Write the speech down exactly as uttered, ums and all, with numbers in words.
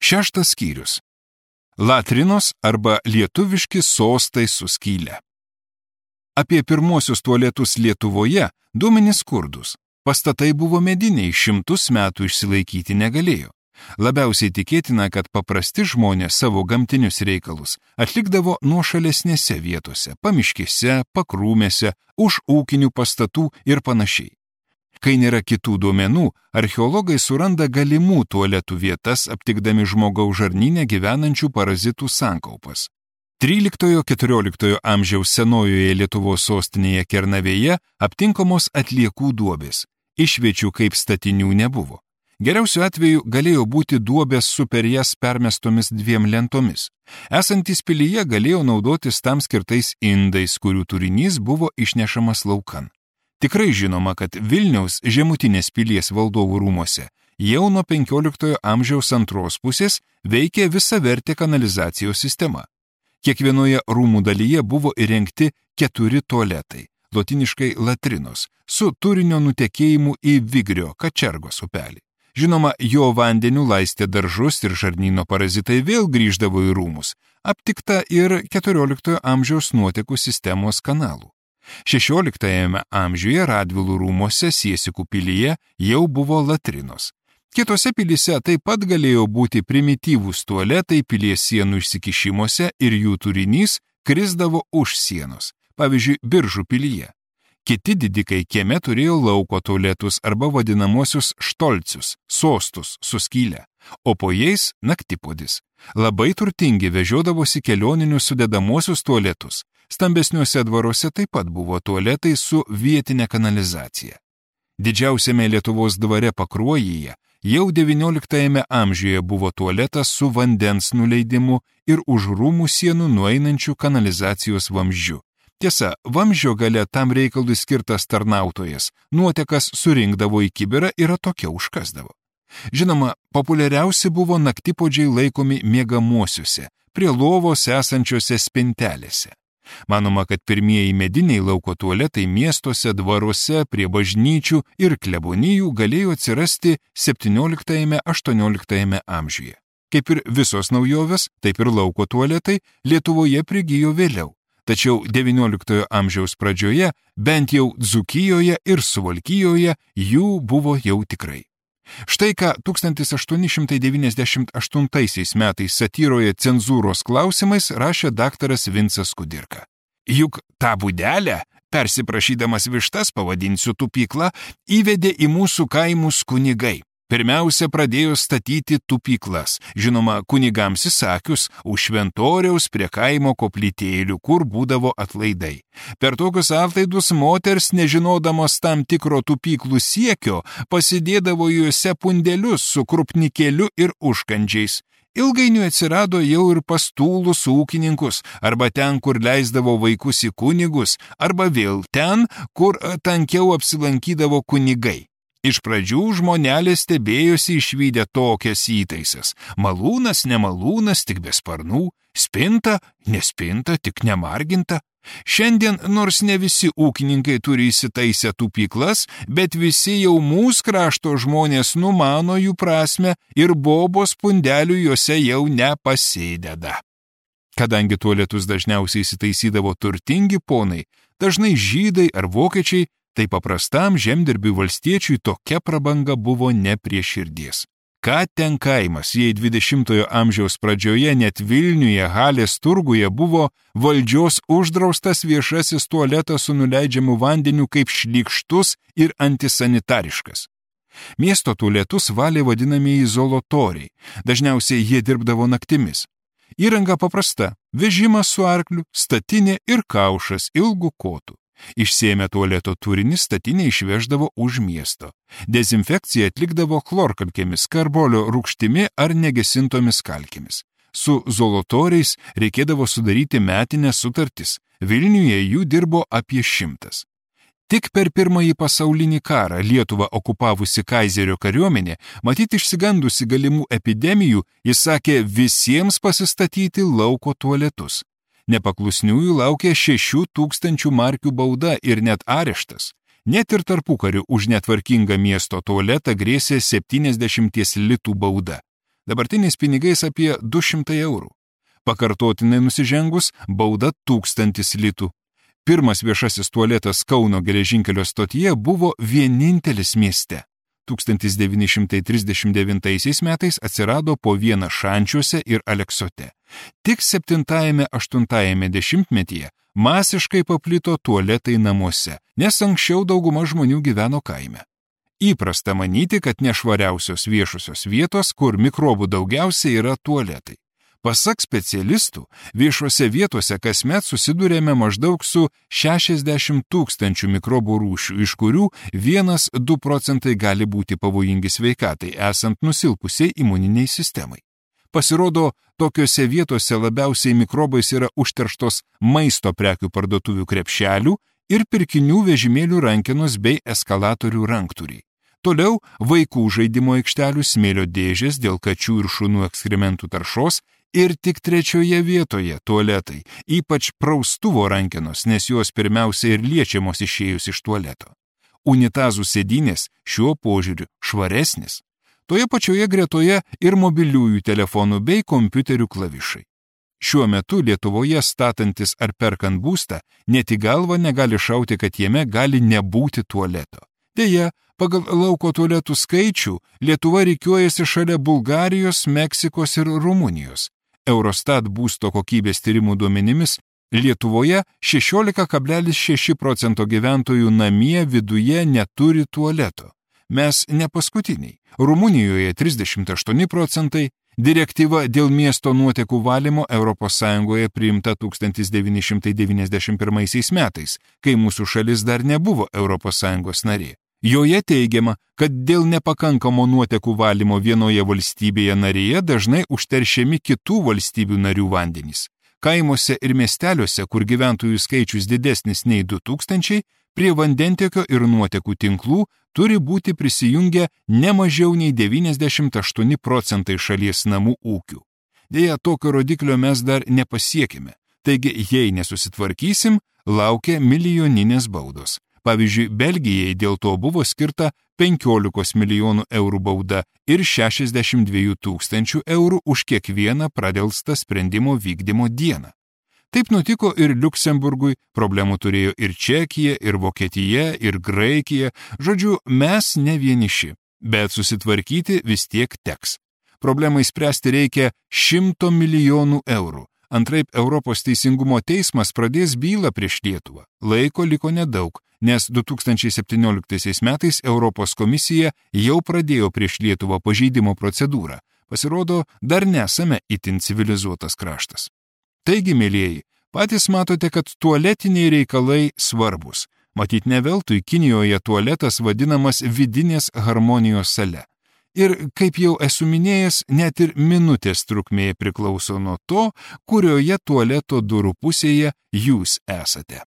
Šeštas skyrius. Latrinos arba lietuviški sostai su skyle. Apie pirmosius tualetus Lietuvoje duomenys skurdus. Pastatai buvo mediniai, šimtus metų išsilaikyti negalėjo. Labiausiai tikėtina, kad paprasti žmonės savo gamtinius reikalus atlikdavo nuošalesnėse vietose, pamiškėse, pakrūmėse, už ūkinių pastatų ir panašiai. Kai nėra kitų duomenų, archeologai suranda galimų tualetų vietas, aptikdami žmogaus žarnyne gyvenančių parazitų sankaupas. tryliktojo-keturioliktojo amžiaus senojoje Lietuvos sostinėje Kernavėje aptinkamos atliekų duobės. Išviečių kaip statinių nebuvo. Geriausiu atveju galėjo būti duobės su per jas permestomis dviem lentomis. Esantys pilyje galėjo naudotis tam skirtais indais, kurių turinys buvo išnešamas laukan. Tikrai žinoma, kad Vilniaus žemutinės pilies valdovų rūmuose jau nuo penkioliktojo amžiaus antros pusės veikė visavertė kanalizacijos sistema. Kiekvienoje rūmų dalyje buvo įrengti keturi tualetai, lotiniškai latrinos, su turinio nutekėjimu į Vigrio Kačergos upelį. Žinoma, jo vandeniu laistė daržus ir žarnyno parazitai vėl grįždavo į rūmus, aptikta ir keturioliktojo amžiaus nuotekų sistemos kanalų. šešioliktajame amžiuje Radvilų rūmuose Siesikų pilyje jau buvo latrinos. Kitose pilyse taip pat galėjo būti primityvūs tualetai pilies sienų išsikišimuose ir jų turinys krisdavo už sienos, pavyzdžiui, Biržų pilyje. Kiti didikai kieme turėjo lauko tualetus arba vadinamosius štolcius, sostus su skyle, o po jais naktipodis. Labai turtingi vežiodavosi kelioninius sudedamosius tualetus. Stambesniuose dvaruose taip pat buvo tualetai su vietinė kanalizacija. Didžiausiame Lietuvos dvare Pakruojyje jau devynioliktajame amžiuje buvo tualetas su vandens nuleidimu ir už rūmų sienų nueinančių kanalizacijos vamzdžių. Tiesa, vamzdžio gale tam reikalui skirtas tarnautojas nuotekas surinkdavo į kibirą ir atokiau užkasdavo. Žinoma, populiariausi buvo naktipodžiai laikomi miegamuosiuose, prie lovos esančiose spintelėse. Manoma, kad pirmieji mediniai lauko tualetai miestuose, dvaruose, prie bažnyčių ir klebonijų galėjo atsirasti septynioliktajame-aštuonioliktajame amžiuje. Kaip ir visos naujovės, taip ir lauko tualetai Lietuvoje prigijo vėliau. Tačiau devynioliktojo amžiaus pradžioje, bent jau Dzūkijoje ir Suvalkijoje, jų buvo jau tikrai. Štai ką tūkstantis aštuoni šimtai devyniasdešimt aštuntaisiais metais satyroje Cenzūros klausimais rašė daktaras Vincas Kudirka. Juk tą būdelę, persiprašydamas vištas pavadinsiu tupyklą, įvedė į mūsų kaimus kunigai. Pirmiausia, pradėjo statyti tupyklas, žinoma, kunigams įsakius, už šventoriaus prie kaimo koplytėlių, kur būdavo atlaidai. Per tokius atlaidus moters, nežinodamos tam tikro tupyklų siekio, pasidėdavo juose pundelius su krupnikėliu ir užkandžiais. Ilgainiui atsirado jau ir pastūlus ūkininkus, arba ten, kur leisdavo vaikus į kunigus, arba vėl ten, kur tankiau apsilankydavo kunigai. Iš pradžių žmonelė stebėjosi išvydę tokias įtaisas. Malūnas, nemalūnas, tik be sparnų, spinta, nespinta, tik nemarginta. Šiandien, nors ne visi ūkininkai turi įsitaisę tupyklas, bet visi jau mūsų krašto žmonės numano jų prasme ir bobos pundelių juose jau nepasideda. Kadangi tualetus dažniausiai įsitaisydavo turtingi ponai, dažnai žydai ar vokiečiai, tai paprastam žemdirbiui valstiečiui tokia prabanga buvo ne prie širdies. Ką ten kaimas, jei dvidešimtojo amžiaus pradžioje net Vilniuje Halės turguje buvo valdžios uždraustas viešasis tualetas su nuleidžiamu vandeniu kaip šlykštus ir antisanitariškas. Miesto tualetus valė vadinamieji zolotoriai, dažniausiai jie dirbdavo naktimis. Įranga paprasta – vežimas su arkliu, statinė ir kaušas ilgų kotų. Išsėmę tualeto turinį statinė išveždavo už miesto. Dezinfekciją atlikdavo chlorkalkėmis, karbolio rūgštimi ar negesintomis kalkėmis. Su zolotoriais reikėdavo sudaryti metinės sutartis. Vilniuje jų dirbo apie šimtas. Tik per pirmąjį pasaulinį karą Lietuvą okupavusi kaizerio kariuomenė, matyt išsigandusi galimų epidemijų, įsakė visiems pasistatyti lauko tualetus. Nepaklusniųjų laukė šešių tūkstančių markių bauda ir net areštas. Net ir tarpukariu už netvarkingą miesto tualetą grėsė septyniasdešimties litų bauda. dabartiniais pinigais apie du šimtai eurų. Pakartotinai nusižengus bauda tūkstantis litų. Pirmas viešasis tualetas Kauno geležinkelio stotyje buvo vienintelis mieste. tūkstantis devyni šimtai trisdešimt devintaisiais metais atsirado po vieną Šančiuose ir Aleksote. Tik septintajame aštuntajame dešimtmetyje masiškai paplito tualetai namuose, nes anksčiau dauguma žmonių gyveno kaime. Įprasta manyti, kad nešvariausios viešosios vietos, kur mikrobų daugiausiai, yra tualetai. Pasak specialistų, viešose vietose kasmet susidurėme maždaug su šešiasdešimt tūkstančių mikrobų rūšių, iš kurių vienas du procentai gali būti pavojingi sveikatai, esant nusilpusiai imuniniai sistemai. Pasirodo, tokiose vietose labiausiai mikrobais yra užterštos maisto prekių parduotuvių krepšelių ir pirkinių vežimėlių rankenos bei eskalatorių ranktūriai. Toliau vaikų žaidimo aikštelių smėlio dėžės dėl kačių ir šunų ekskrementų taršos ir tik trečioje vietoje tualetai, ypač praustuvo rankenos, nes jos pirmiausia ir liečiamos išėjus iš tualeto. Unitazų sėdynės šiuo požiūriu švaresnis. Toje pačioje gretoje ir mobiliųjų telefonų bei kompiuterių klavišai. Šiuo metu Lietuvoje statantis ar perkant būstą, net į galvą negali šauti, kad jame gali nebūti tualeto. Deja, pagal lauko tualetų skaičių Lietuva rikiuojasi šalia Bulgarijos, Meksikos ir Rumunijos. Eurostat būsto kokybės tyrimų duomenimis Lietuvoje šešiolika kablelis šeši procento gyventojų namie viduje neturi tualeto. Mes ne paskutiniai. Rumunijoje trisdešimt aštuoni procentai, direktyva dėl miesto nuotekų valymo Europos Sąjungoje priimta tūkstantis devyni šimtai devyniasdešimt pirmaisiais metais, kai mūsų šalis dar nebuvo Europos Sąjungos narė. Joje teigiama, kad dėl nepakankamo nuotekų valymo vienoje valstybėje narėje dažnai užteršiami kitų valstybių narių vandenys. Kaimuose ir miesteliuose, kur gyventojų skaičius didesnis nei du tūkstančiai, prie vandentiekio ir nuotekų tinklų turi būti prisijungę ne mažiau nei devyniasdešimt aštuoni procentai šalies namų ūkių. Deja, tokio rodiklio mes dar nepasiekime, taigi jei nesusitvarkysim, laukia milijoninės baudos. Pavyzdžiui, Belgijai dėl to buvo skirta penkiolikos milijonų eurų bauda ir šešiasdešimt dviejų tūkstančių eurų už kiekvieną pradelstą sprendimo vykdymo dieną. Taip nutiko ir Liuksemburgui, problemų turėjo ir Čekija, ir Vokietija, ir Graikija, žodžiu, mes ne vieniši, bet susitvarkyti vis tiek teks. Problemai spręsti reikia šimto milijonų eurų. Antraip Europos teisingumo teismas pradės bylą prieš Lietuvą. Laiko liko nedaug, nes du tūkstančiai septynioliktaisiais metais Europos komisija jau pradėjo prieš Lietuvą pažeidimo procedūrą. Pasirodo, dar nesame itin civilizuotas kraštas. Taigi, mėlieji, patys matote, kad tualetiniai reikalai svarbus. Matyt, ne veltui Kinijoje tualetas vadinamas vidinės harmonijos sale. Ir, kaip jau esu minėjęs, net ir minutės trukmė priklauso nuo to, kurioje tualeto durų pusėje jūs esate.